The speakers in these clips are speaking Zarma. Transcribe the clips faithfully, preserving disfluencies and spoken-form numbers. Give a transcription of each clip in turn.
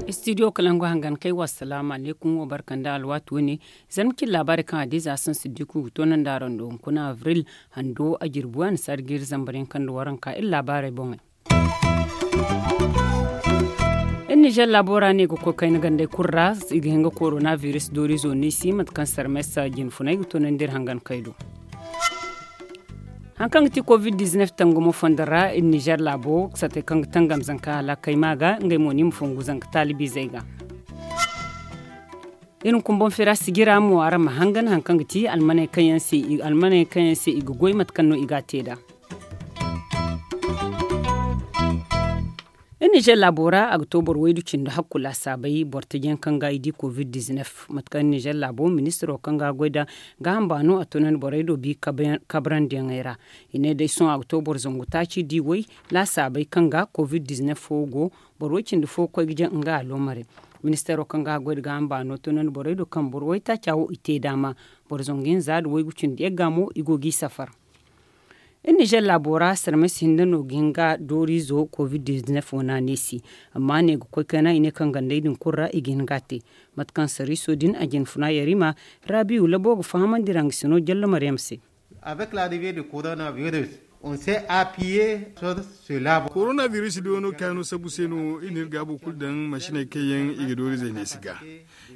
Istidiyo kalangu hangan kay wa salaamu alaykum wo barka nda alwaati wane. Zarma cine laabaarey kaŋ a diiza a sansi diku ga toonandi araŋ do hunkuna abril hando a jirbi a na saari jiiri zambar yaŋ kaŋ nda waranka iri laabaarey boŋey. Iri nizer laabo ra no i ga koy kayna gandey kulu ra i ga hin ga korona biris doorizo no i se mate kaŋ sarmes jinfunay ga toonandi iri hangan kay do. Hari kaŋ ga ti covid dizinef tangamo fondo ra iri nizer laabo satey kaŋ ga tangam zanka hala kay ma ga ngey mo no i ma fongu zanka taalibiizey ga. Iri hunkuna boŋ feera sijira mo araŋ ma hangan hari kaŋ ga ti almaney kaŋ yaŋ se i ga goy mate kaŋ no i ga a te nd'a. Iri nizer laabo ra a ga to boro waydu cindi hakku laasaabey boro taji yaŋ kaŋ ga i di covid dizinef mate kaŋ nizer laabo ministiro kaŋ ga a goy nd'a gaaham baano a toonandi borey do bi kabrandi yaŋey ra. I ne day sohõ a ga to boro zangu taaci di way laasaabey kaŋ ga covid dizinef fo go boro way cindi fo ga koy ga jaŋ nga aloomarey. Ministero kaŋ ga a goy nda gaaham baano toonandi borey do kaŋ boro waytaaca wo i te daama boro zangu hinza nda waygu cindi yagga mo i go g'i safar. Iri nizer laabo ra sarmes hinne no ga hin ga dooriizo covid dizinef wana neesi. Amma ne ga koy kayna i ne kaŋ gandey din kulu ra i ga hin ga a te. Mate kaŋ sariiso din a jinfuna yarima raabiyu labo ga fahamandi ra nga sino jallo maryam se. Avec l'arrivée du coronavirus, on s'est appuyé sur cela. Coronavirus do no kaano sabu se no iri na iri gaabo kulu daŋ masiney kaŋ yaŋ i ga dooriizey neesi ga.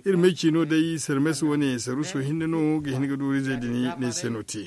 Iri may ciino day sarmes wane saruso hinne no ga hin ga dooriizey din neesi se no te.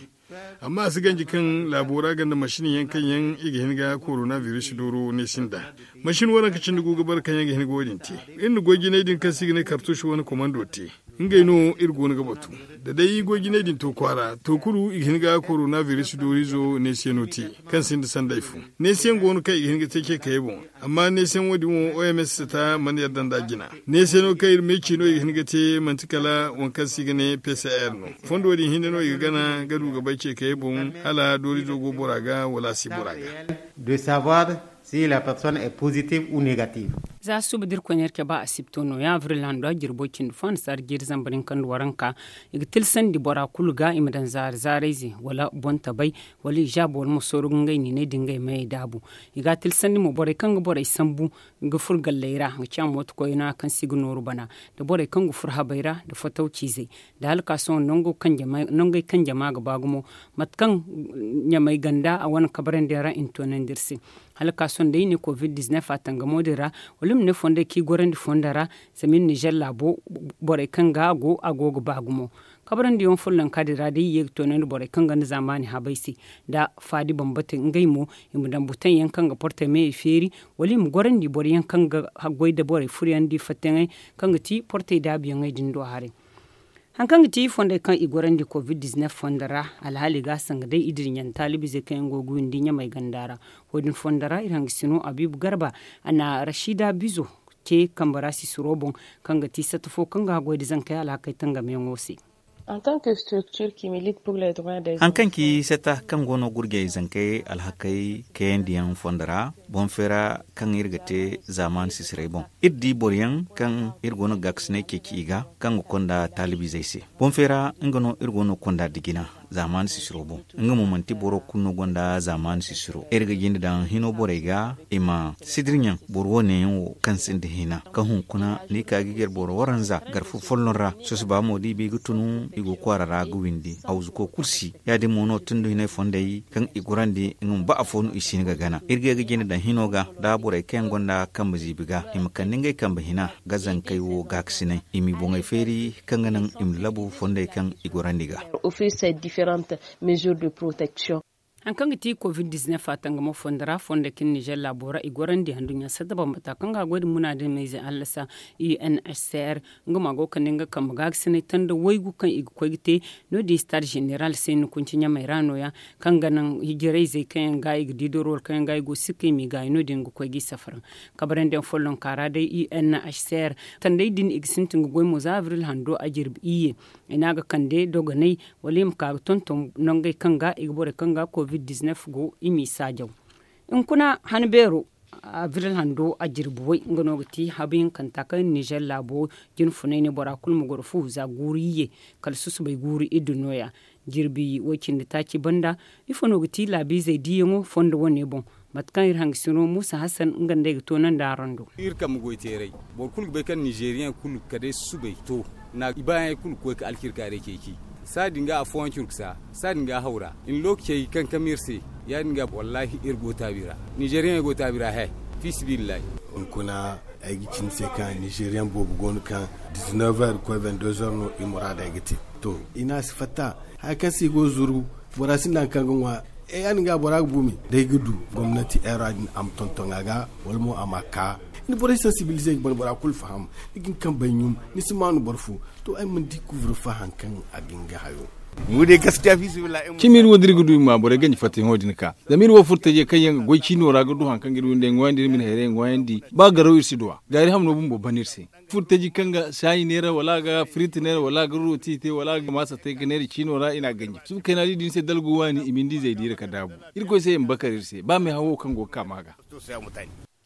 Amma a si ganji kaŋ laabo ra gonda masin yaŋ kaŋ yaŋ i ga hin ga korona biris dooro neesi nd'a. Masin waranka cindi gu ga bare kaŋ yaŋ ga hin ga wo- din te. Iri na goy jinay din kaŋ se i ga ne kartuusi wane komando te. Ngey no iri go no ga batu. Da day goy jinay din to kwaara to kulu i ga hin ga korona biris dooriizo neesi yaŋ no te, kaŋ sinda sanday fo. Neesi yaŋ go no kaŋ i ga hin ga te ce kayey boŋ. Amma neesi yaŋ wo- din wo oms ta mana yadda nd'a jina. Neesi yaŋ no kaŋ iri ma ay ci no i ga hin ga te manti kala waŋ kaŋ se i ga ne pcr no. Fondo din hinne no i ga gana ga du ga bay ce kayey boŋ hala dooriizo go bora ga wala a si bora ga. De savoir si la personne est positive ou négative. Za suba da iri koy no iri cabe asibto no ya abril hando a jirbo cindi fo a na saari jiiri zambar hinka nda waranka. I ga tilsandi bora kulu ga i ma daŋ zaari zaarayze wala boŋ tabay wala i zaabu wala ma sooru ga ngey niinay da ngey mayey daabu. I ga a tilsandi mo borey kaŋ ga borey sambu ga furo galley ra ga ciya mooto koyna kaŋ se i ga nooru bana, nda borey kaŋ ga furo habey ra nda fataw ciizey, nda hala ka sohõ nangey kaŋ jama ga ba gumo. Mate kaŋ ɲamey ganda a wane kabarandi yaŋ ra i na toonandi iri se. Hala ka sohõ day i ne covid dizinef a tangamo din ra, wala i ma ne fondey kaŋ i gorandi fondo ra. Zama iri nizer laabo borey kaŋ ga a go a go ga ba gumo. Kabarandi yaŋ follonka din ra day i ye ga toonandi borey kaŋ gonda zaamaani habey se, nda faadi bambata ngey mo i ma daŋ butaŋ yaŋ kaŋ ga portey meyey feeri, wala i ma gorandi boro yaŋ kaŋ ga goy nda borey furyaŋ da i fattayaŋey, kaŋ ga ti portey daabuyaŋey din do haray. Hari kaŋ ga ti fondey kaŋ i gorandi covid dizinef fondo ra, alhaali ga a sanga day i dira ɲaŋ taalibiizey kaŋ yaŋ go ga windi ɲamey ganda ra. Wo- din fondo ra iri hangasino abiibu garba, a na rashida bizo te kambe ra sisiro boŋ, kaŋ ga ti satta fo kaŋ ga a goy nda zankey alhakey tangamiyaŋo se. Hari kaŋ ci satta kaŋ go no gurjey zankey alhakey kayandiyaŋ fondo ra, boŋ feera kaŋ iri ga te zaamaani sisiray boŋ, iri di boro yaŋ kaŋ iri go no ga gaakasinay ceeci i ga, kaŋ ga konda taalibiizey se. Boŋ feera nga no iri go no ga konda da jina zaamaani sisiro boŋ. Nga mo manti boro kulu no gonda zaamaani sisiro. Iri ga jinde daŋ hino borey ga i ma sidir ɲaŋ boro wo- ne yaŋ wo kaŋ sinda hina kaŋ hunkuna ni ka ga i gar boro waranza gar fo folloŋ ra. Sosoba mo da i ba i ga tunu i go kwaara ra ga windi hawzuko kulu si. Ya- din mo no tundu hinay fondey kaŋ i gorandi nga ma ba afo no i si hin ga gana. Iri ga ye ga jinde daŋ hino ga da borey kaŋ yaŋ gonda kambe ziibi ga i ma kande ngey kambe hina ga zankey wo gaakasinay i m'i boŋey feeri kaŋ ga naŋ i ma labu fondey kaŋ i gorandi ga. Hari kaŋ ga ti covid dizinef a tangamo fondo ra fondey kaŋ nizer laabo ra i gorandi handuɲɲa sadda bambata kaŋ ga a goy nda munaadinmayze hallasa, unhcr nga mo a go ga kande nga kambe gaakasinay tanda waygu kaŋ i ga koy ga te. No- din stade zeneral se ni kunci ɲamey ra no- ya kaŋ ga naŋ hijirayzey kaŋ yaŋ ga i ga di doro wala kaŋ yaŋ ga i go ga sikka i m'i gaayi no- din ga koy g'i safara. Kabarandiyaŋ follonka ra day unhcr tandey din i ga sintin ga goy mo za abril hando a jirbi iyye. I ne a ga kande dogonay wala i ma ka ga tonton nangey kaŋ ga i ga borey kaŋ ga covid dizinef go i m'i saajaw. Hunkuna han beero. Abril hando a jirbi way nga no ga ti habu hinkanta kaŋ nizer laabo jinfunay ne bora kulu ma goro fu za guuru iyye kala susubay guuru iddu no- ya. Jirbi way cindi taaci banda ifo no ga ti laabiizey diiyaŋo fondo wane boŋ? Mate kaŋ iri hangasino muusa hasan nga nda ay ga toonandi araŋ do. Iri kambe goy teeray boro kulu ga bay kaŋ nizeriyaŋ kulu kala day susubay to na i baayaŋey kulu ga koy ga alcirkaaray ceeci. Saadin ga afooyaŋ curkusa saadin ga hawra i na lookacey kankam iri se. Ya- din ga wallaahi iri go taabi ra nizeriyaŋey go taabi ra he. Fiisabilillahi. Hunkuna ay ga ci ni se kaŋ nizeriyaŋ boobo go no kaŋ dizinef heures ga koy vingt deux heures no i muraadey ga te. To i ne a si fatta haya kaŋ se i go ga zuru bora sinda hari kaŋ ga ŋwa. Ya- din ga bora ga buumi da ay ga du gomnati era din a ma tonton a ga wala mo a ma a ka. Ni borey sansibilizey ga ban bora kulu faham. Ni ga ni kambey ɲum ni si maanu boro fo. To ay mana di kuvur fa hari kaŋ a ga nga hayo. Mu day gaskiya fiisabilillahi. Cimi iri wo da iri ga du i ma borey ganji fattayaŋo din ka zama iri wo furtajey kaŋ yaŋ ga goy ciino ra ga du hari kaŋ ga iri windey ŋwayandi iri ma ni hayrey ŋwayandi ba garaw iri si du a gaari hamno bumbo ban iri se. Furtaji kaŋ ga saayi neera wala a ga firit neera wala a ga rooti te wala a ga maasa te ga neera ciino ra i na a ganji suba kayna di din se dalgu waani i ma ni di zay diira ka daabu. Irkoy se i ma bakar iri se ba meehawo kaŋ go ga ka ma ga.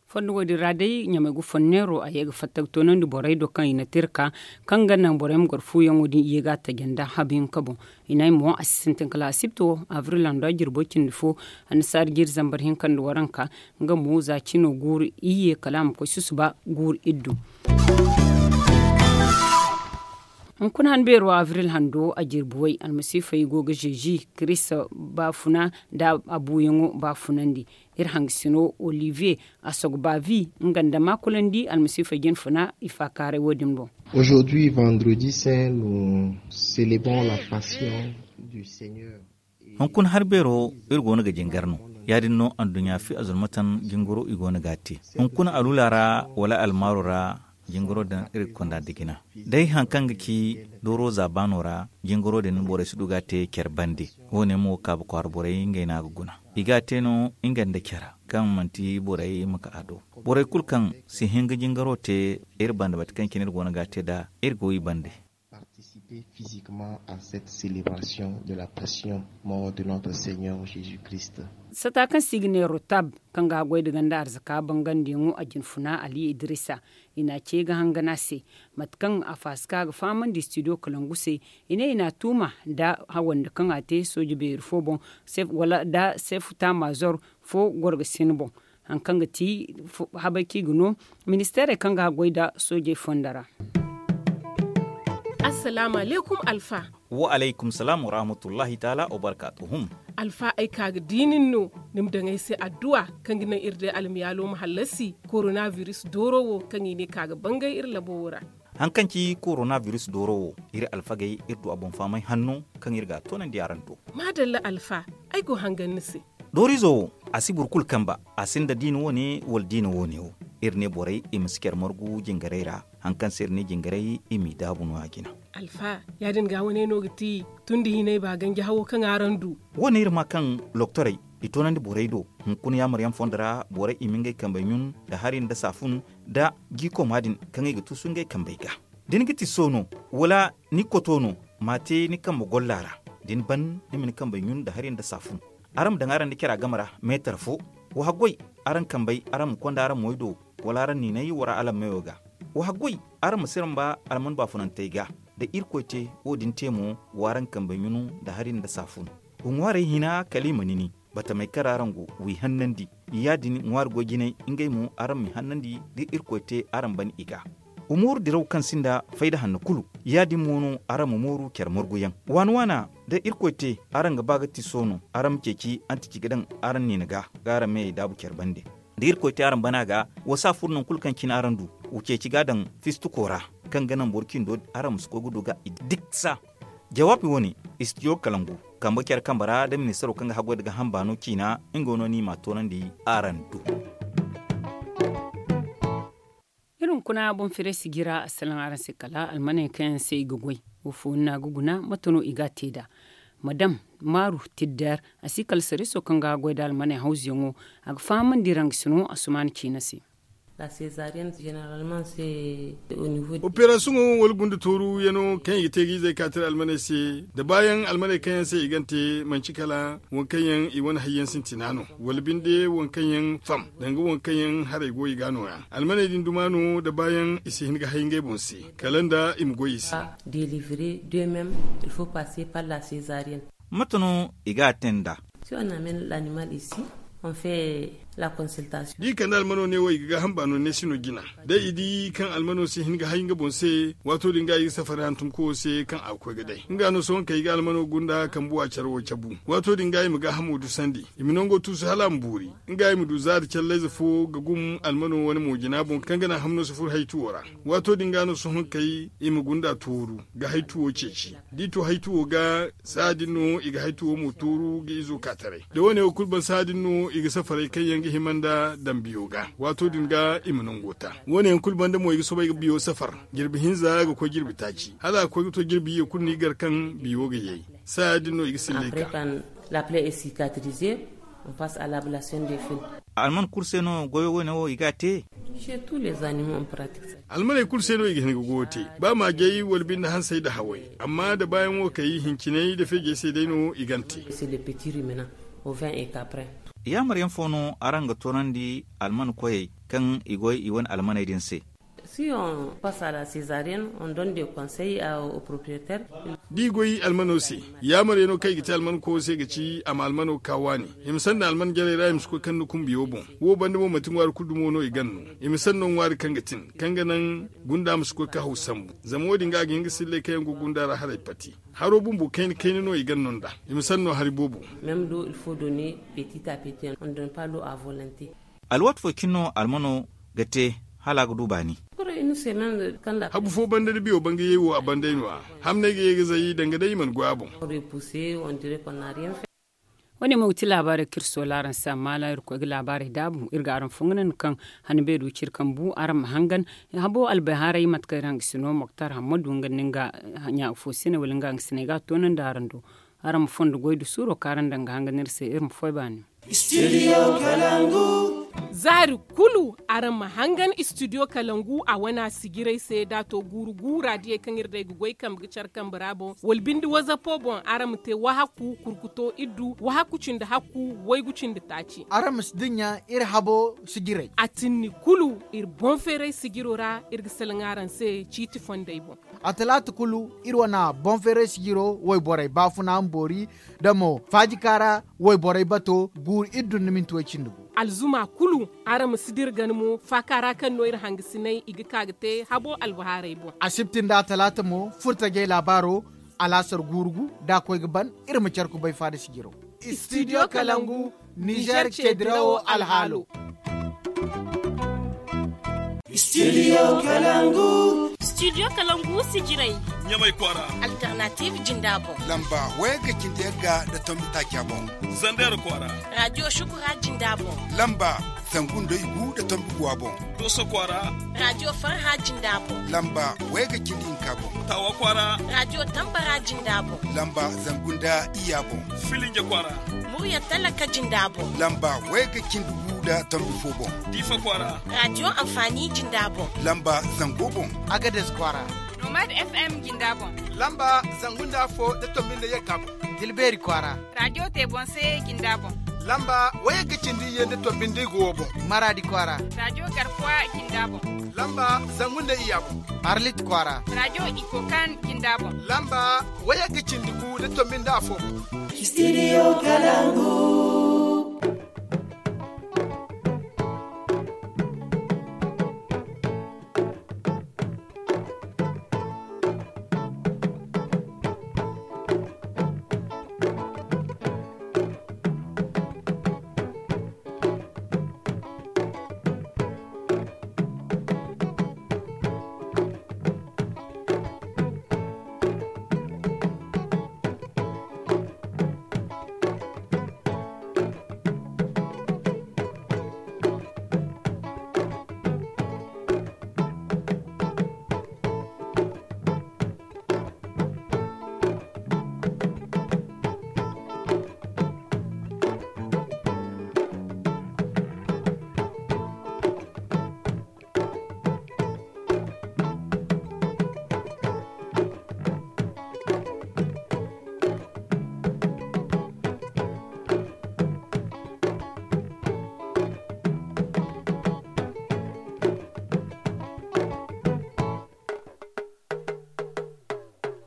Fondo wo- din ra day ɲamay ga fonneero a ye ga fatta ga toonandi borey do kaŋ i na te iri ka kaŋ ga naŋ borey ma goro fuuyaŋo din i ye ga a taji nda habu hinka boŋ. I ne ay mo a si sintin kala asibti wo abril hando a jirbo cindi fo annasaari jiiri zambar hinka nda waranka. Nga mo za cino guuru iyye kala a ma koy susuba guuru iddu. Hunkuna han beero abril hando a jirbi way almasiifey go ga zeezi kirista baafuna nda a buuyaŋo baafunandi. Iri hangasino olivier a sogo baavi nga nda maakulandi almasiifey jinfuna i faakaaray wo- din boŋ. Aujourd'hui vendredi saint nous célébrons la passion du seigneur. Hunkuna hari beero iri go no ga jingar no. Ya- din no anduɲɲa fi azulmatan jingaro i go no ga a te. Hunkuna alula ra wala almaaro ra jingaro din iri ga konda da jina. Day hari kaŋ ga ci dooro za baano ra jingaro din borey si du ga a te care bande. Wo- ne mo kaabu kwaara borey ngey no a ga guna. I ga a te no nga nda care kaŋ manti borey ma ka a do. Borey kulu kaŋ si hin ga jingaro te iri banda mate kaŋ cine iri go no ga a te nd'a iri go i bande. Participer physiquement à cette célébration de la passion mort de notre seigneur jésus christ. Sata kaŋ se i ga ne rotab kaŋ ga haggoy da ganda arzaka bangandiyaŋo a jinfuna ali idrisa. I na ce ga hangan a se mate kaŋ a faasi ka ga fahamandi studio kalangu se. I ne i na a tuuma nda hawandi kaŋ a te sooje beeri fo boŋ wala nda seefu taamazor fo goro ga sin boŋ. Hari kaŋ ga ti habay kaŋ i ga no ministeerey kaŋ ga haggoy nda soojey fonda ra. Assalaamu alaykum alfa. Wa alaykum salaam wa rahmatullahi taala wa barkaatuhum. Alfa ay ka ga di nin no ni ma daŋ ay se adduwa kaŋ ga naŋ iri day almiyaalo ma hallasi korona biris dooro wo kaŋ i ne ka ga bangay iri labo wo ra. Hari kaŋ ci korona biris dooro wo iri alfagey iri du a boŋ fahamay hanno kaŋ iri ga a toonandi araŋ do. Maadalla alfa, ay go hangan ni se. Dooriizo wo a si boro kulu kamba. A sinda diina wo- ne wala diina wo- ne wo. Iri ne borey i ma si care margu jingarey ra. Hari kaŋ se iri ne jingarey i m'i daabu no- ya jina. Alfa, ya- din ga wane no ga ti tun da hinay ba ganji hawo kaŋ araŋ du. Wo- ne iri ma kaŋ loktorey i toonandi borey do. Hunkuna yaamaryaŋ fondo ra borey i ma ngey kambey ɲun nda hari nda saafun nda jiikoma din kaŋ i ga tuusu ngey kambey ga. Da ni ga ti soono wala ni koto no, m'a te ni kambe golla ra. Da ni ban ni ma ni kambey ɲun nda hari nda saafun. Araŋ ma daŋ araŋ nda cara game ra meetar fo. Wa haggoy araŋ kambey araŋ ma konda araŋ moy do, wala araŋ niinay wara alammeyo ga. Wa haggoy araŋ ma siramba alman baafunantey ga. Da irkoy te wo- din te mo, w'araŋ kambey ɲunu nda hari nda saafun. Wa ŋwaarey hina kala i ma nini. Batamey kaŋ ra araŋ go w'i hannandi. Ya- din ŋwaari goy jinay ngey mo araŋ m'i hannandi da irkoy te araŋ ban i ga. Wa mooru diraw kaŋ sinda fayda hanno kulu. Ya- din mo no araŋ ma mooru care marguyaŋ waana waana. Da irkoy te araŋ ga ba ga ti soono araŋ ma ceeci antici ga daŋ araŋ niina ga ga araŋ meyey daabu care bande. Da irkoy te araŋ bana ga wa saafur nangu kulu kaŋ cine araŋ du. Wa ceeci ga daŋ fistuko ra kaŋ ga naŋ boro cindo araŋ ma si koy ga du ga i diksa. Jawaabi wo- ne, istiyo kalangu kambe care kambe ra da ministaro kaŋ ga haggoy da ga hamba no ciina. Nga no ni m'a toonandi araŋ do. Iri hunkuna boŋ firay sijira assalaŋ araŋ se kala almaney kaŋ yaŋ se i ga goy. Wo fo ni na ga guna mate no i ga a te nd'a? Madam maaru tidder a si kala sariiso kaŋ ga a goy nda almaney hawzuyaŋo. A ga fahamandi rangasino asumaana ciina se. La seezariyenne zeneralman se. Operasiyoŋo wala gunda tooru yaŋo kaŋ i ga te ga izey kaatira almaney se, da baayaŋ almaney kaŋ yaŋ se i gante manci kala waŋ kaŋ yaŋ i wane hayyaŋ sintina no, wala binde waŋ kaŋ yaŋ fam danga waŋ kaŋ yaŋ haray go i ga nooya. Almaney din duma no da baayaŋ i si hin ga hay ngey boŋ se, kala nda i ma goy i se. Delivre de mem, il faut passe par la seezariyenne. Mate no i ga a te nd'a? Si on amen lanimal isi, on fe la konsiltasiyoŋ. Da i kande almano ne wo i ga gaaham baano ne si no jina. Da i di kaŋ almano si hin ga hay nga boŋ se, waato din ga i ga safari hantumko wo se kaŋ a ga koy ga day nga no sohõ kaŋ i ga almano gunda kambuwa care wo cabu. Waato din ga i ma gaahamo dusandi, i ma nango tuusu hala a ma boori. Nga i ma du zaari callayze fo ga gum almano wane mo jina boŋ kaŋ ga naŋ hamno si furo haytuwo ra. Waato din ga no sohõ kay i ma gunda tooru ga haytuwo ceeci. Da i to haytuwo ga, saha din no i ga haytuwo mo tooru ga izo ka taray. Da wane wo kulu ban saha din no i ga safaray kaŋ yaŋ ga hima nda dambiyo ga. Waato din ga i ma nango ta. Wane yaŋ kulu banda mo i ga soobay ga biyo safar, jirbi hinza ga koy jirbi taaci hala a ga koy ga to jirbi iyye kulu no i gar kaŋ biyo ga yay. Saha din no i ga sillay ka. La play est cicatrize. On passe à l'ablation des fils. Alman kulu se no goyo wane wo i ga a te? Chez tous les animaux on pratique ça. Almaney kulu se no i ga hin ga goyo te, ba maajey wala binde hansey nda hawey. Amma da baayaŋ wo kay hinciney nda feejey se day no i gan te. C'est le petit ruminant, ovin et caprin. Yaamar yaŋ fo no araŋ ga toonandi alman koyey kaŋ i goy i wane almaney din se? Si on passe à la seezariyenne, on donne des conseils au propriétaire. Da i goy almano se, yaamar yaŋo kaŋ i ga te alman koyo se ga ci a ma almano ka waani. I ma sanna alman jarey ra i ma si koy kaŋ ni kumbiyo boŋ. Wo banda mo manti ŋwaari kulu dumo no i gan no. I ma sanno ŋwaari kaŋ ga tin kaŋ ga naŋ gunda ma si koy ka haw sambu. Zama wo- din ga a ga hin ga sillay kaŋ yaŋ go gunda ra haray pati. Haro bumbo kayna kayna no i gan no nd'a. I ma sanno hari boobo. Même l'eau il faut donner petit à petit, on donne pas l'eau à volonté. Alwaati fo cine no almano ga te hala a ga du baani. Habu fo banda da biyo ban ga yay wo a banday no- ya. Hamney ga ye ga zay danga day i mana goy a boŋ. Wane mo ga ti laabaarey kaŋ iri soola araŋ se amma hala iri koy ga laabaarey daabu iri ga araŋ fongana no kaŋ hanbey du ciri kaŋ bu araŋ ma hangan. Habo albayhaarey mate kaŋ iri hangasino moktar hammadu nga nda nga ɲa fo se ne wala nga hangasiney ga a toonandi araŋ do. Araŋ ma fondo goy da suuro kaŋ araŋ daŋ ga hangan iri se iri ma foy baani. Zaari kulu araŋ ma hangan istidiyo kalangu a wana sijirey se da a to guuru guura diyey kaŋ iri day ga goy kambe ga care kambe ra boŋ wala binde wazapo boŋ araŋ ma te wahakku kurkuto iddu wahakku cindi hakku waygu cindi taaci. Araŋ ma si dinya iri habo sijirey a tinni kulu iri boŋ feeray sijiro ra iri ga salaŋ araŋ se ciiti fondey boŋ. A talaata kulu iri wane boŋ feeray sijiro wayborey baafuna ma boori da mo faajika ra wayborey bato guuru iddu nda minti way cindi gu. Alzuma kulu araŋ ma si dira gana mo faaka ra kaŋ no iri hangasiney i ga ka ga te habo albahaarey boŋ. Asibti nda atalaata mo furtajey laabaaro alaasar guuru gu da a koy ga ban iri ma care kubay faada sijiro. Istidiyo kalangu nizer ceedirawo alhaalo. Studio kalangu. Studio kalangu sijirey. Ɲamay kwaara. Alternative jinda boŋ. Lamba wayagga cindi yagga nda tombi taaca boŋ. Zander kwaara. Radio shukura jinda boŋ. Lamba zangu nda igu nda tombi guwa boŋ. Doso kwaara. Radio farha jinda boŋ. Lamba wayagga cindi hinka boŋ. Tawa kwaara. Radio tambara jinda boŋ. Lamba zangu nda iyya boŋ. Filinje kwaara. Murya talaka jinda boŋ. Lamba wayagga cindi gu nda tombi fo boŋ. Diifa kwaara. Radio anfaani jinda boŋ. Lamba zango boŋ. Agades kwaara. Nomad FM jinda boŋ. Lamba zangu nda afo nda tombi nda yagga boŋ. Tilbeeri kwaara. Radio te boŋ se jinda boŋ. Lamba wayagga cindi iyye nda tombi nda igu wo boŋ. Maraadi kwaara. Radio garkuwa jinda boŋ. Lamba zangu nda iyya boŋ. Arlit kwaara. Radio ikokan jinda boŋ. Lamba wayagga cindi gu nda tombi nda afo boŋ. Studio kalangu.